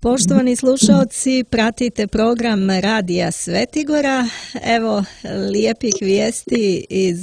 Poštovani slušalci, pratite program Radija Svetigora. Evo lijepih vijesti iz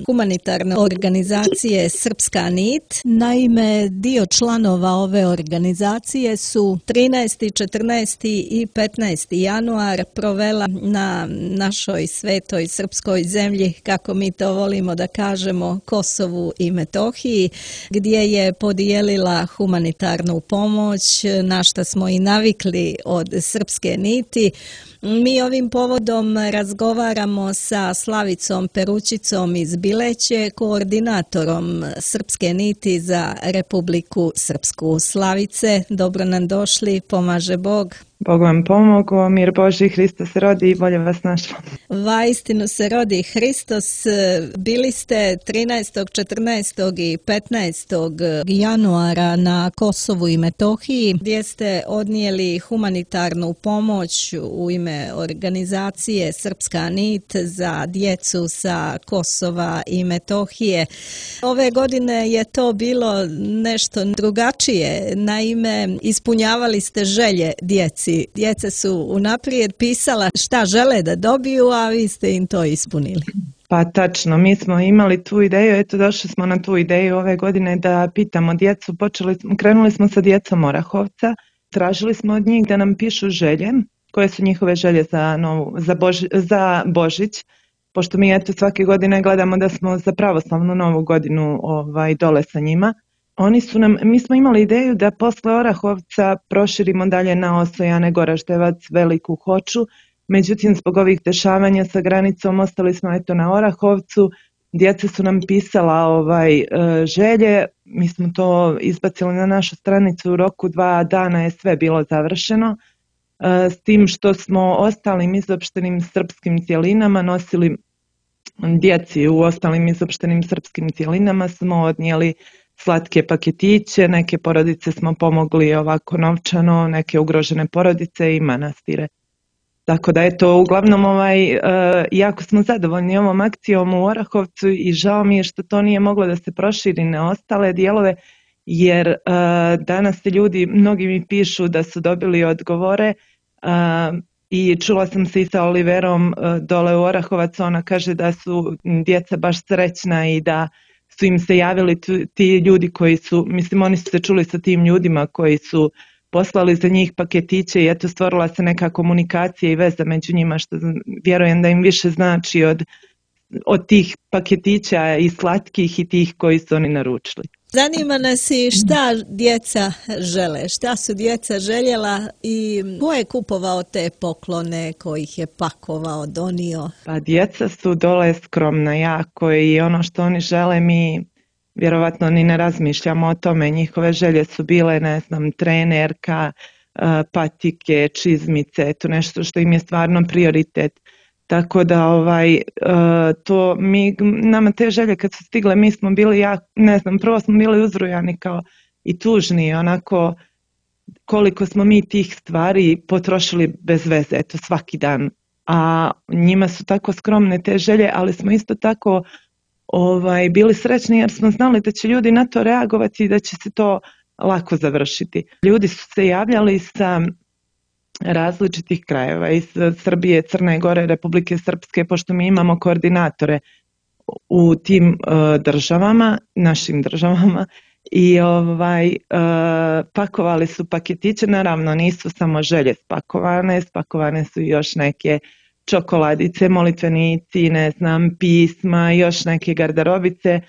humanitarne organizacije Srpska nit. Naime, dio članova ove organizacije su 13., 14. i 15. januar provela na našoj svetoj srpskoj zemlji, kako mi to volimo da kažemo, Kosovu i Metohiji, gdje je podijelila humanitarnu pomoć, na šta smo i navikli od Srpske niti. Mi ovim povodom razgovaramo sa Slavicom Perućicom iz Bileće, koordinatorom Srpske niti za Republiku Srpsku. Slavice, dobro nam došli, pomaže Bog. Bog vam pomogao, mir Božji, Hristos se rodi i bolje vas našla. Vaistinu se rodi Hristos. Bili ste 13., 14. i 15. januara na Kosovu i Metohiji, gdje ste odnijeli humanitarnu pomoć u ime organizacije Srpska nit za djecu sa Kosova i Metohije. Ove godine je to bilo nešto drugačije. Naime, ispunjavali ste želje djeci. Djeca su unaprijed pisala šta žele da dobiju, a vi ste im to ispunili. Pa tačno, mi smo imali tu ideju, eto došli smo na tu ideju ove godine da pitamo djecu, krenuli smo sa djecom Orahovca, tražili smo od njih da nam pišu želje, koje su njihove želje za Božić, pošto mi eto svake godine gledamo da smo za pravoslavnu novu godinu dole sa njima. Mi smo imali ideju da posle Orahovca proširimo dalje na Osojane, Goraždevac, Veliku Hoču, međutim zbog ovih dešavanja sa granicom ostali smo eto na Orahovcu, djeca su nam pisala želje, mi smo to izbacili na našu stranicu, u roku 2 dana je sve bilo završeno, s tim što smo ostalim izopštenim srpskim cjelinama nosili, djeci u ostalim izopštenim srpskim cjelinama smo odnijeli slatke paketiće, neke porodice smo pomogli ovako novčano, neke ugrožene porodice i manastire. Tako da eto, uglavnom jako smo zadovoljni ovom akcijom u Orahovcu i žao mi je što to nije moglo da se proširi na ostale dijelove, jer danas se ljudi, mnogi mi pišu da su dobili odgovore i čula sam se i sa Oliverom dole u Orahovac, ona kaže da su djeca baš srećna i da su im se javili ti ljudi koji su, mislim oni su se čuli sa tim ljudima koji su poslali za njih paketiće i eto stvorila se neka komunikacija i veza među njima, što vjerujem da im više znači od tih paketića i slatkih i tih koji su oni naručili. Zanima nas i šta djeca žele, šta su djeca željela i ko je kupovao te poklone, ko ih je pakovao, donio? Pa djeca su dole skromna jako i ono što oni žele mi vjerovatno ni ne razmišljamo o tome. Njihove želje su bile, ne znam, trenerka, patike, čizmice, to nešto što im je stvarno prioritet. Tako da nama te želje kad su stigle, mi smo bili, prvo smo bili uzrujani kao i tužni, onako koliko smo mi tih stvari potrošili bez veze, eto svaki dan. A njima su tako skromne te želje, ali smo isto tako bili srećni jer smo znali da će ljudi na to reagovati i da će se to lako završiti. Ljudi su se javljali sa različitih krajeva, iz Srbije, Crne Gore, Republike Srpske, pošto mi imamo koordinatore u tim državama, našim državama, i pakovali su paketiće, naravno nisu samo želje spakovane su još neke čokoladice, molitvenici, ne znam, pisma, još neke garderobice,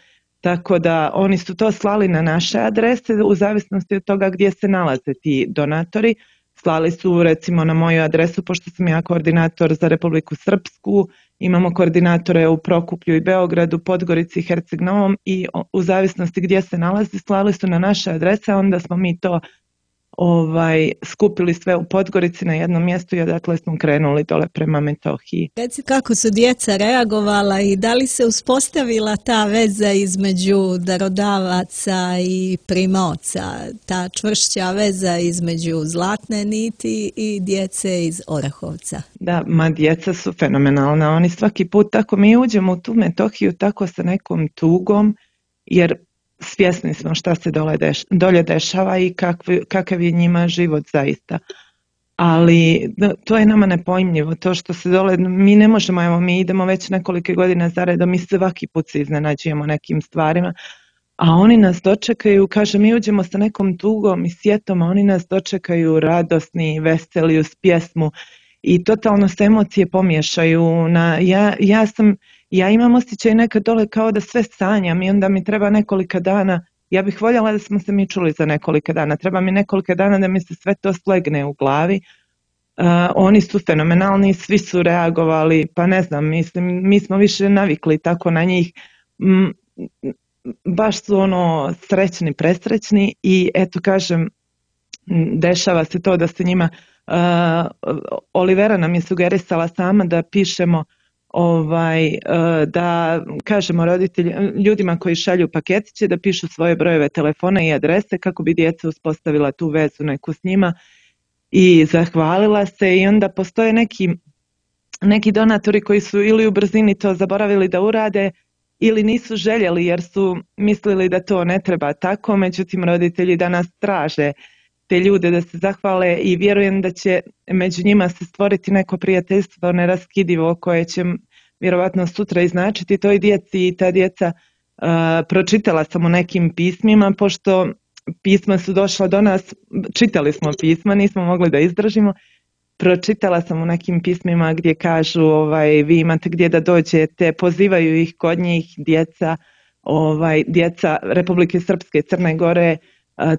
tako da oni su to slali na naše adrese u zavisnosti od toga gdje se nalaze ti donatori. Slali su recimo na moju adresu, pošto sam ja koordinator za Republiku Srpsku, imamo koordinatore u Prokuplju i Beogradu, Podgorici i Herceg Novom i u zavisnosti gdje se nalazi slali su na naše adrese, onda smo mi to skupili sve u Podgorici na jednom mjestu i odatle smo krenuli dole prema Metohiji. Reci kako su djeca reagovala i da li se uspostavila ta veza između darodavaca i primaoca, ta čvršća veza između Zlatne niti i djece iz Orahovca? Da, djeca su fenomenalna, oni svaki put tako mi uđemo u tu Metohiju tako sa nekom tugom, jer svjesni smo šta se dolje dešava i kakav je njima život zaista. Ali to je nama nepojmljivo, to što se dole, mi ne možemo, evo mi idemo već nekolike godine zaredom, mi svaki put se iznenađujemo nekim stvarima, a oni nas dočekaju, kaže, mi uđemo sa nekom tugom i sjetom, a oni nas dočekaju radosni, veseli, uz pjesmu i totalno se emocije pomiješaju. Ja imam osjećaj nekad dole kao da sve sanjam i onda mi treba nekolika dana. Ja bih voljela da smo se mi čuli za nekolika dana. Treba mi nekolika dana da mi se sve to slegne u glavi. Oni su fenomenalni, svi su reagovali, pa ne znam, mislim, mi smo više navikli tako na njih. Baš su srećni, presrećni i eto kažem, dešava se to da se njima, Olivera nam je sugerisala sama da pišemo da kažemo ljudima koji šalju paketiće da pišu svoje brojeve telefona i adrese kako bi djeca uspostavila tu vezu neku s njima i zahvalila se. I onda postoje neki donatori koji su ili u brzini to zaboravili da urade ili nisu željeli jer su mislili da to ne treba tako, međutim roditelji danas traže te ljude da se zahvale i vjerujem da će među njima se stvoriti neko prijateljstvo neraskidivo koje će vjerovatno sutra iznačiti toj djeci i ta djeca, pročitala sam u nekim pismima, pošto pisma su došla do nas, čitali smo pisma, nismo mogli da izdržimo, pročitala sam u nekim pismima gdje kažu vi imate gdje da dođete, pozivaju ih kod njih djeca Republike Srpske, Crne Gore,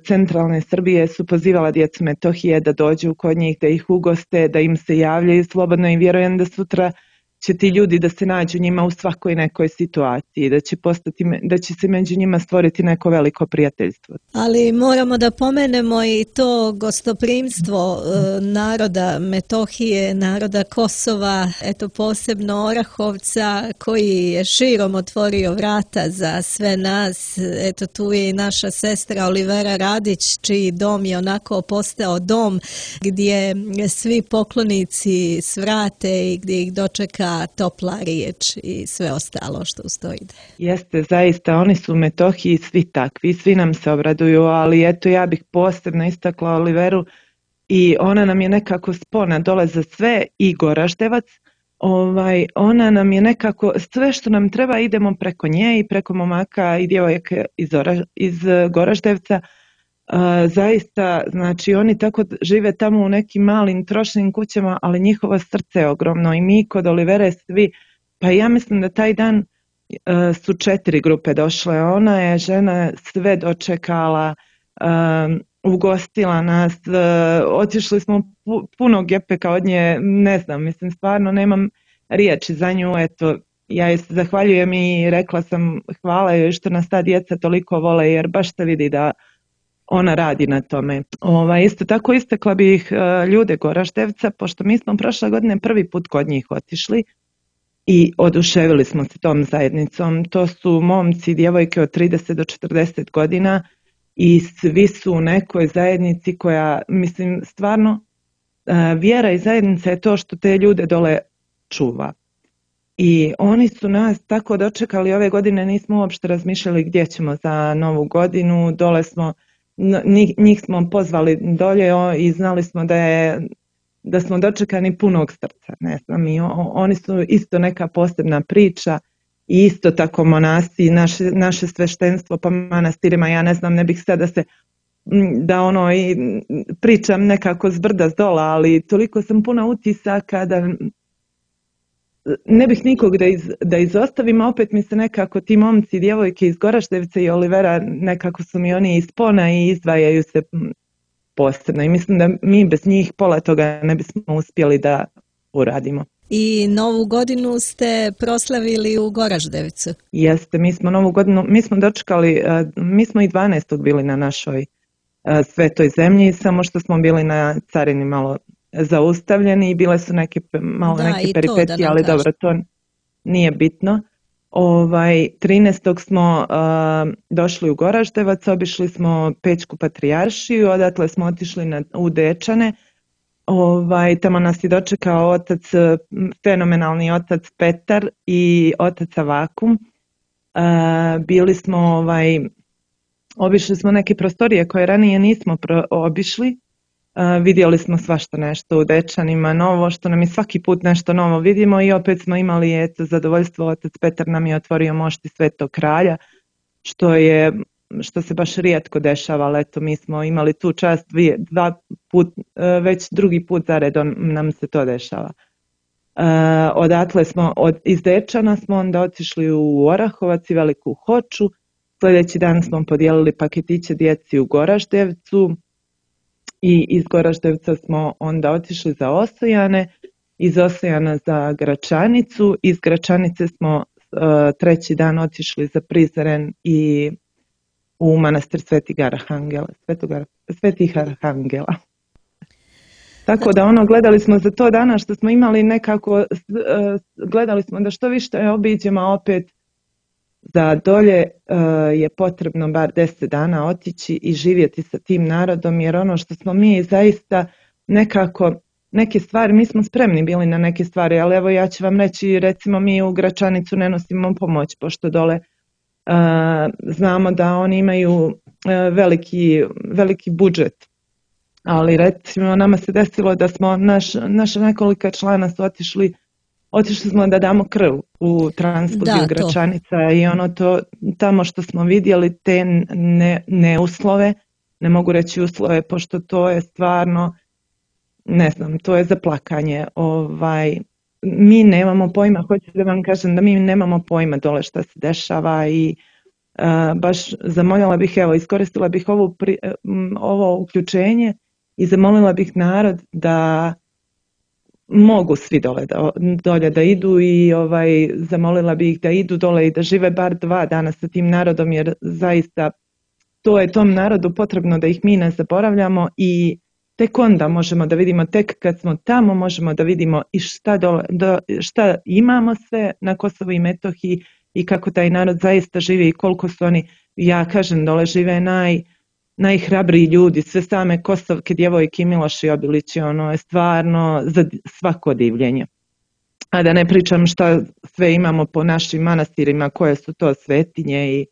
centralne Srbije su pozivala djecu Metohije da dođu kod njih, da ih ugoste, da im se javljaju slobodno i vjerujem da sutra će ti ljudi da se nađu njima u svakoj nekoj situaciji, da će se među njima stvoriti neko veliko prijateljstvo. Ali moramo da pomenemo i to gostoprimstvo naroda Metohije, naroda Kosova, eto posebno Orahovca koji je širom otvorio vrata za sve nas. Eto tu je i naša sestra Olivera Radić, čiji dom je onako postao dom gdje svi poklonici svrate i gdje ih dočeka topla riječ i sve ostalo što uz to ide. Jeste, zaista, oni su u Metohiji svi takvi, svi nam se obraduju, ali eto ja bih posebno istakla Oliveru i ona nam je nekako spona dole za sve i Goraždevac. Ona nam je nekako, sve što nam treba idemo preko nje i preko momaka i djevojaka iz Goraždevca. Zaista, znači oni tako žive tamo u nekim malim trošnim kućama, ali njihovo srce je ogromno i mi kod Olivere svi, pa ja mislim da taj dan su 4 grupe došle, ona je žena sve dočekala, ugostila nas, otišli smo puno gepeka od nje, ne znam, mislim stvarno nemam riječi za nju, eto ja joj se zahvaljujem i rekla sam hvala joj što nas ta djeca toliko vole jer baš se vidi da ona radi na tome. Isto tako istakla bih ljude Goraždevca, pošto mi smo prošle godine prvi put kod njih otišli i oduševili smo se tom zajednicom. To su momci i djevojke od 30 do 40 godina i svi su u nekoj zajednici koja, mislim, stvarno vjera i zajednica je to što te ljude dole čuva. I oni su nas tako dočekali ove godine, nismo uopšte razmišljali gdje ćemo za novu godinu, dole smo, njih smo pozvali dolje i znali smo da smo dočekani punog srca, ne znam, i oni su isto neka posebna priča i isto tako monasi, naše sveštenstvo po manastirima, ja ne znam, ne bih sad da i pričam nekako s brda s dola, ali toliko sam puna utisaka da ne bih nikog da izostavim, a opet mi se nekako ti momci i djevojke iz Goraždevca i Olivera nekako su mi oni ispona i izdvajaju se posebno i mislim da mi bez njih pola toga ne bismo uspjeli da uradimo. I Novu godinu ste proslavili u Goraždevcu? Jeste, mi smo Novu godinu, mi smo dočekali, mi smo i 12. bili na našoj svetoj zemlji, samo što smo bili na carini malo zaustavljeni i bile su neke peripetije, ali dobro, to nije bitno. 13. smo došli u Goraždevac, obišli smo Pećku patrijaršiju, odatle smo otišli u Dečane. Tamo nas je dočekao fenomenalni otac Petar i otac Avakum. Bili smo Obišli smo neke prostorije koje ranije nismo obišli. Vidjeli smo svašta nešto u Dečanima novo, što nam je svaki put nešto novo vidimo i opet smo imali zadovoljstvo, otac Petar nam je otvorio mošti Svetog Kralja, što se baš rijetko dešava, ali eto mi smo imali tu čast već drugi put zaredom nam se to dešava. Odatle smo, iz Dečana smo onda otišli u Orahovac i Veliku Hoču, sljedeći dan smo podijelili paketiće djeci u Goraždevcu i iz Goraždevca smo onda otišli za Osojane, iz Osojana za Gračanicu, iz Gračanice smo treći dan otišli za Prizren i u manastir Svetih Arhangela. Tako da gledali smo za to dana što smo imali nekako, gledali smo da što više obiđemo, a opet za dolje je potrebno bar 10 dana otići i živjeti sa tim narodom, jer ono što smo mi zaista nekako, neke stvari, mi smo spremni bili na neke stvari, ali evo ja ću vam reći, recimo mi u Gračanicu ne nosimo pomoć, pošto dole znamo da oni imaju veliki budžet. Ali recimo nama se desilo da smo naša nekolika člana su otišli smo da damo krv u transfuziju Gračanica i tamo što smo vidjeli te neuslove, ne mogu reći uslove, pošto to je stvarno, ne znam, to je za plakanje. Mi nemamo pojma, hoću da vam kažem da mi nemamo pojma dole šta se dešava i baš zamoljala bih, iskoristila bih ovo uključenje i zamolila bih narod da mogu svi dolje da idu i zamolila bih ih da idu dole i da žive bar 2 dana sa tim narodom, jer zaista to je tom narodu potrebno da ih mi ne zaboravljamo i tek onda možemo da vidimo, tek kad smo tamo možemo da vidimo i šta imamo sve na Kosovu i Metohiji i kako taj narod zaista živi i koliko su oni, ja kažem, dole žive najhrabriji ljudi, sve same Kosovke, djevojke i Miloš i Obilići, je stvarno za svako divljenje. A da ne pričam šta sve imamo po našim manastirima, koje su to svetinje i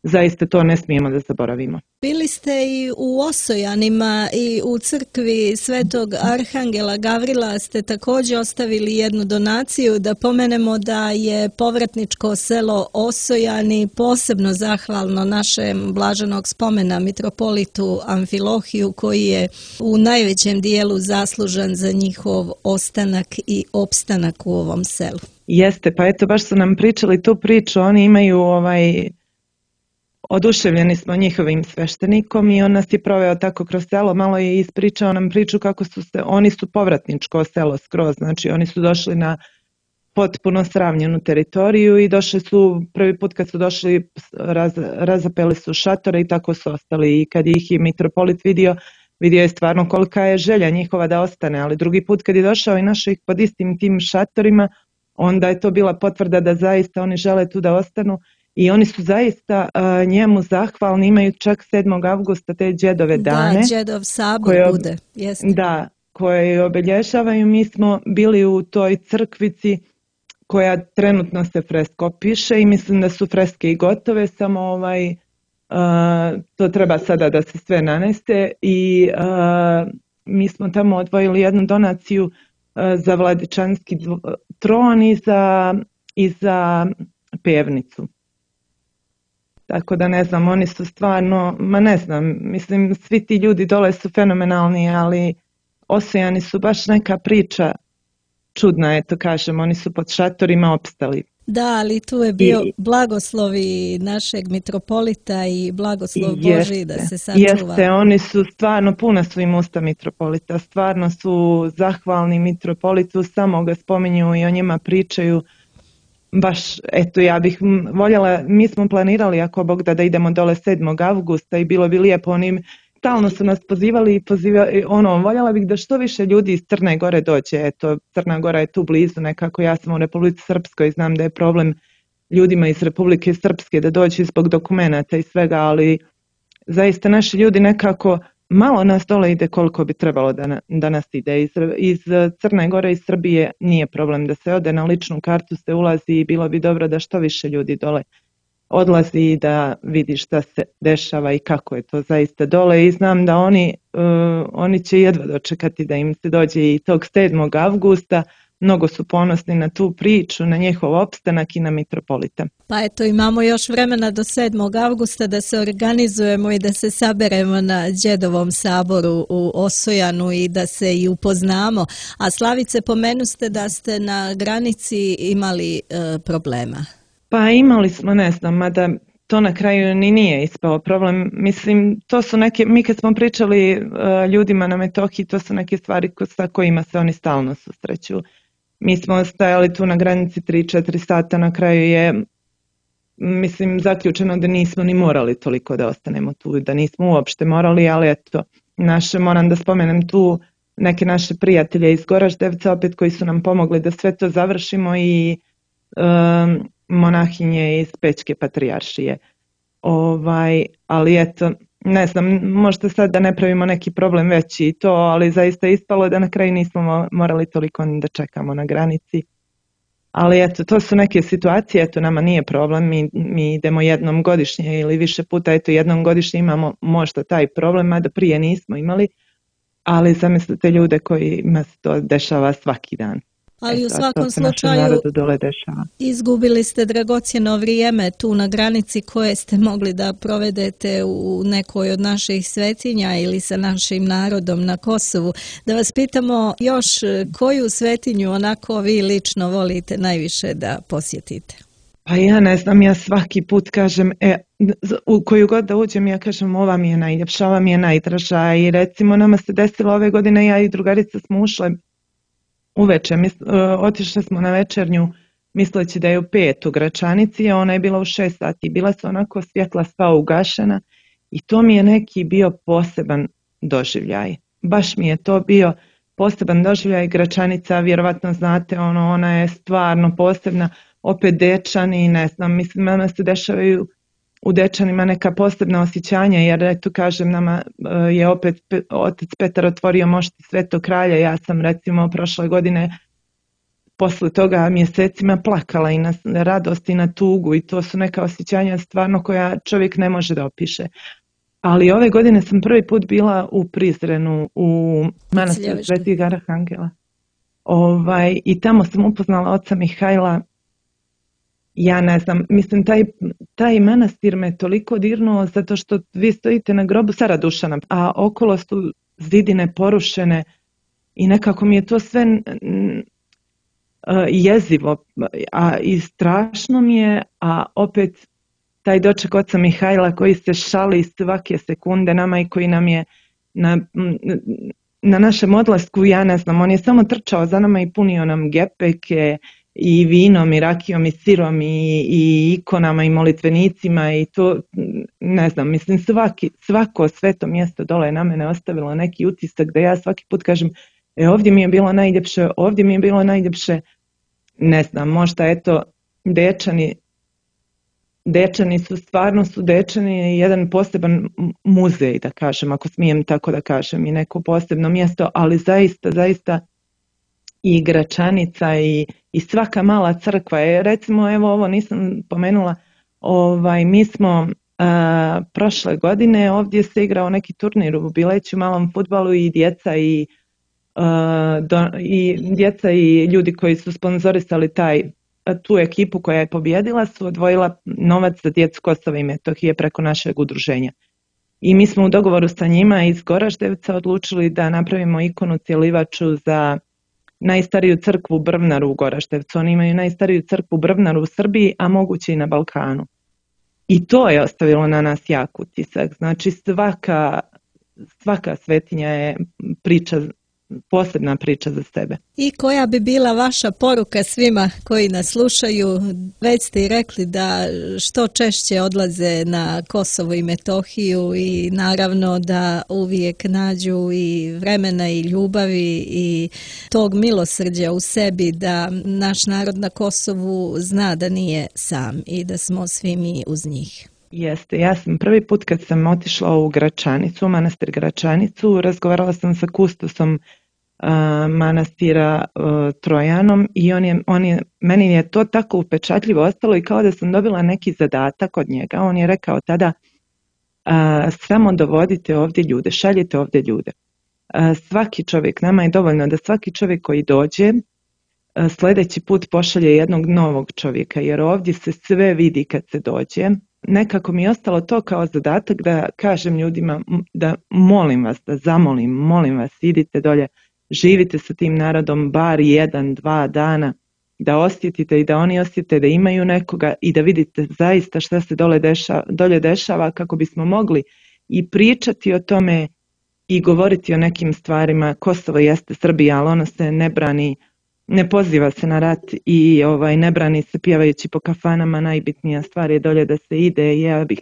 zaista to ne smijemo da zaboravimo. Bili ste i u Osojanima i u crkvi Svetog Arhangela Gavrila ste također ostavili jednu donaciju, da pomenemo da je povratničko selo Osojani posebno zahvalno našem blaženog spomena mitropolitu Amfilohiju, koji je u najvećem dijelu zaslužan za njihov ostanak i opstanak u ovom selu. Jeste, pa eto baš su nam pričali tu priču, oni imaju oduševljeni smo njihovim sveštenikom i on nas je proveo tako kroz selo, malo je ispričao nam priču kako oni su povratničko selo skroz, znači oni su došli na potpuno sravnjenu teritoriju i došli su, prvi put kad su došli razapeli su šatore i tako su ostali i kad ih je mitropolit vidio je stvarno kolika je želja njihova da ostane, ali drugi put kad je došao i našao ih pod istim tim šatorima, onda je to bila potvrda da zaista oni žele tu da ostanu. I oni su zaista njemu zahvalni, imaju čak 7. avgusta te džedove dane. Da, džedov sabor bude. Jeste. Da, koje obilježavaju. Mi smo bili u toj crkvici koja trenutno se fresko piše i mislim da su freske i gotove, samo to treba sada da se sve nanese i mi smo tamo odvojili jednu donaciju za Vladičanski tron i za pevnicu. Tako da ne znam, oni su stvarno, ne znam, mislim svi ti ljudi dole su fenomenalni, ali Osojani su baš neka priča čudna, eto kažem, oni su pod šatorima opstali. Da, ali tu je bio blagoslovi našeg mitropolita i blagoslov Božji da se sačuva. Jeste, oni su stvarno, puna su im usta mitropolita, stvarno su zahvalni mitropolitu, samo ga spominju i o njima pričaju. Baš, eto, ja bih voljela, mi smo planirali ako Bog da idemo dole 7. avgusta i bilo bi lijepo, stalno su nas pozivali, voljela bih da što više ljudi iz Crne Gore dođe, eto, Crna Gora je tu blizu nekako, ja sam u Republici Srpskoj, znam da je problem ljudima iz Republike Srpske da dođu zbog dokumenata i svega, ali zaista naši ljudi nekako, malo nas dole ide koliko bi trebalo da nas ide. Iz Crne Gore i Srbije nije problem da se ode, na ličnu kartu se ulazi i bilo bi dobro da što više ljudi dole odlazi i da vidi šta se dešava i kako je to zaista dole i znam da oni će jedva dočekati da im se dođe i tog 7. avgusta. Mnogo su ponosni na tu priču, na njihov opstanak i na mitropolita. Pa eto, imamo još vremena do 7. avgusta da se organizujemo i da se saberemo na Đedovom saboru u Osojanu i da se i upoznamo. A Slavice, pomenuste da ste na granici imali problema. Pa imali smo, ne znam, mada to na kraju ni nije ispao problem. Mislim, to su neke, mi kad smo pričali ljudima na Metohiji, to su neke stvari sa kojima se oni stalno susreću. Mi smo stajali tu na granici 3-4 sata, na kraju je, mislim, zaključeno da nismo ni morali toliko da ostanemo tu, da nismo uopšte morali, ali eto, moram da spomenem tu neke naše prijatelje iz Goraždevca, opet koji su nam pomogli da sve to završimo i monahinje iz Pećke patrijaršije. Ali eto, ne znam, možda sad da ne pravimo neki problem veći i to, ali zaista ispalo da na kraju nismo morali toliko ni da čekamo na granici. Ali eto, to su neke situacije, eto, nama nije problem, mi idemo jednom godišnje ili više puta, eto, jednom godišnje imamo možda taj problem, a da prije nismo imali, ali zamislite ljude kojima se to dešava svaki dan. Ali u svakom slučaju izgubili ste dragocjeno vrijeme tu na granici koje ste mogli da provedete u nekoj od naših svetinja ili sa našim narodom na Kosovu. Da vas pitamo još koju svetinju onako vi lično volite najviše da posjetite? Pa ja ne znam, ja svaki put kažem, u koju god da uđem ja kažem ova mi je najljepša, ova mi je najdraža i recimo nama se desilo ove godine, ja i drugarica smo ušle uveče, otišli smo na večernju misleći da je u 5 u Gračanici, a ona je bila u 6 sati. Bila su onako svjetla sva ugašena i to mi je neki bio poseban doživljaj. Baš mi je to bio poseban doživljaj. Gračanica, vjerovatno znate, ona je stvarno posebna. Opet Dečani, ne znam, mislim, ona se dešavaju u Dečanima neka posebna osjećanja, jer eto kažem, nama je opet otac Petar otvorio mošti Svetog Kralja. Ja sam recimo prošle godine posle toga mjesecima plakala i na radost i na tugu i to su neka osjećanja stvarno koja čovjek ne može da opiše. Ali ove godine sam prvi put bila u Prizrenu, u manastiru Svetih Arhangela. I tamo sam upoznala oca Mihajla. Ja ne znam, mislim, taj manastir me toliko dirnuo zato što vi stojite na grobu Cara Dušana, a okolo su zidine porušene i nekako mi je to sve jezivo i strašno mi je, a opet taj doček oca Mihajla koji se šali svake sekunde nama i koji nam je na našem odlasku, ja ne znam, on je samo trčao za nama i punio nam gepeke i vinom i rakijom i sirom i ikonama i molitvenicima i to, ne znam, mislim svako sveto mjesto dole je na mene ostavilo neki utisak da ja svaki put kažem ovdje mi je bilo najljepše, ovdje mi je bilo najljepše, ne znam, možda eto Dečani su stvarno Dečani jedan poseban muzej, da kažem, ako smijem tako da kažem, i neko posebno mjesto, ali zaista i Gračanica i svaka mala crkva je, recimo, evo ovo nisam pomenula, mi smo prošle godine ovdje se igrao neki turnir u Bileću, malom fudbalu i djeca i ljudi koji su sponzorisali tu ekipu koja je pobjedila su odvojila novac za djecu Kosova i Metohije preko našeg udruženja. I mi smo u dogovoru sa njima iz Goraždevca odlučili da napravimo ikonu cjelivaču za najstariju crkvu Brvnaru u Goraždevcu. Oni imaju najstariju crkvu Brvnaru u Srbiji, a moguće i na Balkanu. I to je ostavilo na nas jak utisak. Znači svaka svetinja je posebna priča za sebe. I koja bi bila vaša poruka svima koji nas slušaju? Već ste i rekli da što češće odlaze na Kosovo i Metohiju i naravno da uvijek nađu i vremena i ljubavi i tog milosrđa u sebi da naš narod na Kosovu zna da nije sam i da smo svi mi uz njih. Jeste, ja sam prvi put kad sam otišla u Gračanicu, u manastir Gračanicu, razgovarala sam sa kustosom manastira Trojanom i meni je to tako upečatljivo ostalo i kao da sam dobila neki zadatak od njega. On je rekao tada samo dovodite ovdje ljude, šaljite ovdje ljude. Svaki čovjek, nama je dovoljno da svaki čovjek koji dođe sljedeći put pošalje jednog novog čovjeka, jer ovdje se sve vidi kad se dođe. Nekako mi je ostalo to kao zadatak da kažem ljudima da molim vas, da zamolim, molim vas, idite dolje, živite sa tim narodom bar 1-2 dana, da osjetite i da oni osjete da imaju nekoga i da vidite zaista šta se dolje dešava kako bismo mogli i pričati o tome i govoriti o nekim stvarima. Kosovo jeste Srbija, ali ono se ne brani, ne poziva se na rat i ne brani se pjevajući po kafanama. Najbitnija stvar je dolje da se ide i ja bih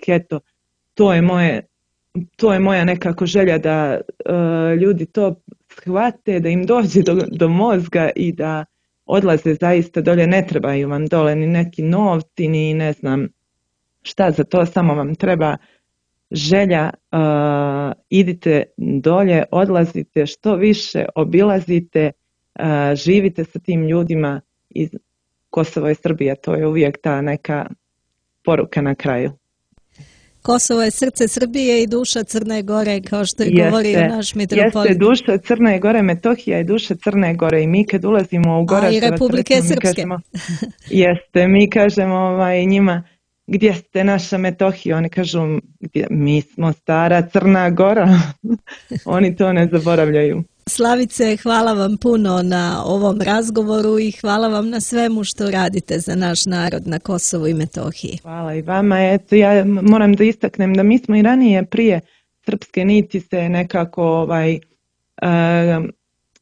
to je moja nekako želja da ljudi to shvate, da im dođe do mozga i da odlaze zaista dolje. Ne trebaju vam dole ni neki novci, ni ne znam šta za to, samo vam treba želja, idite dolje, odlazite što više, obilazite, živite sa tim ljudima iz Kosovo i Srbija, to je uvijek ta neka poruka na kraju. Kosovo je srce Srbije i duša Crne Gore, kao što je govorio naš mitropolit. Jeste duša Crne Gore, Metohija je duša Crne Gore i mi kad ulazimo u Goraževac, i Republike Srpske. Mi kažemo njima, gdje ste naša Metohija? Oni kažu, mi smo stara Crna Gora. Oni to ne zaboravljaju. Slavice, hvala vam puno na ovom razgovoru i hvala vam na svemu što radite za naš narod na Kosovu i Metohiji. Hvala i vama. Eto, ja moram da istaknem da mi smo i ranije prije Srpske niti se nekako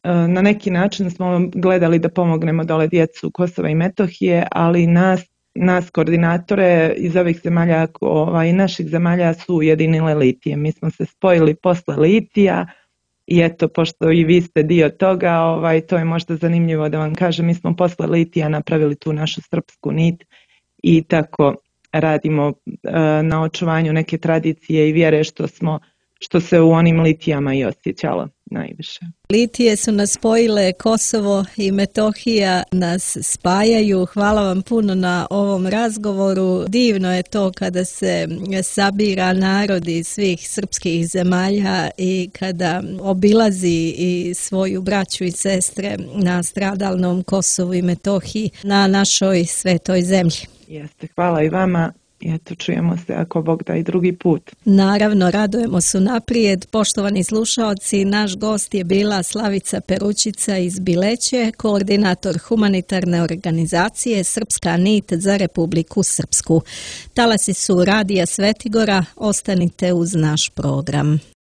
na neki način smo gledali da pomognemo dole djecu Kosova i Metohije, ali nas koordinatore iz ovih zemalja i naših zemalja su ujedinile Litije. Mi smo se spojili posle Litija i eto, pošto i vi ste dio toga, to je možda zanimljivo da vam kažem, mi smo posle Litija napravili tu našu srpsku nit i tako radimo na očuvanju neke tradicije i vjere što se u onim Litijama i osjećalo najviše. Litije su nas spojile, Kosovo i Metohija nas spajaju. Hvala vam puno na ovom razgovoru. Divno je to kada se sabira narod iz svih srpskih zemalja i kada obilazi i svoju braću i sestre na stradalnom Kosovu i Metohiji, na našoj svetoj zemlji. Jeste, hvala i vama. I eto, čujemo se ako Bog da i drugi put. Naravno, radujemo se unaprijed. Poštovani slušaoci, naš gost je bila Slavica Peručica iz Bileće, koordinator humanitarne organizacije Srpska nit za Republiku Srpsku. Talasi su Radija Svetigora, ostanite uz naš program.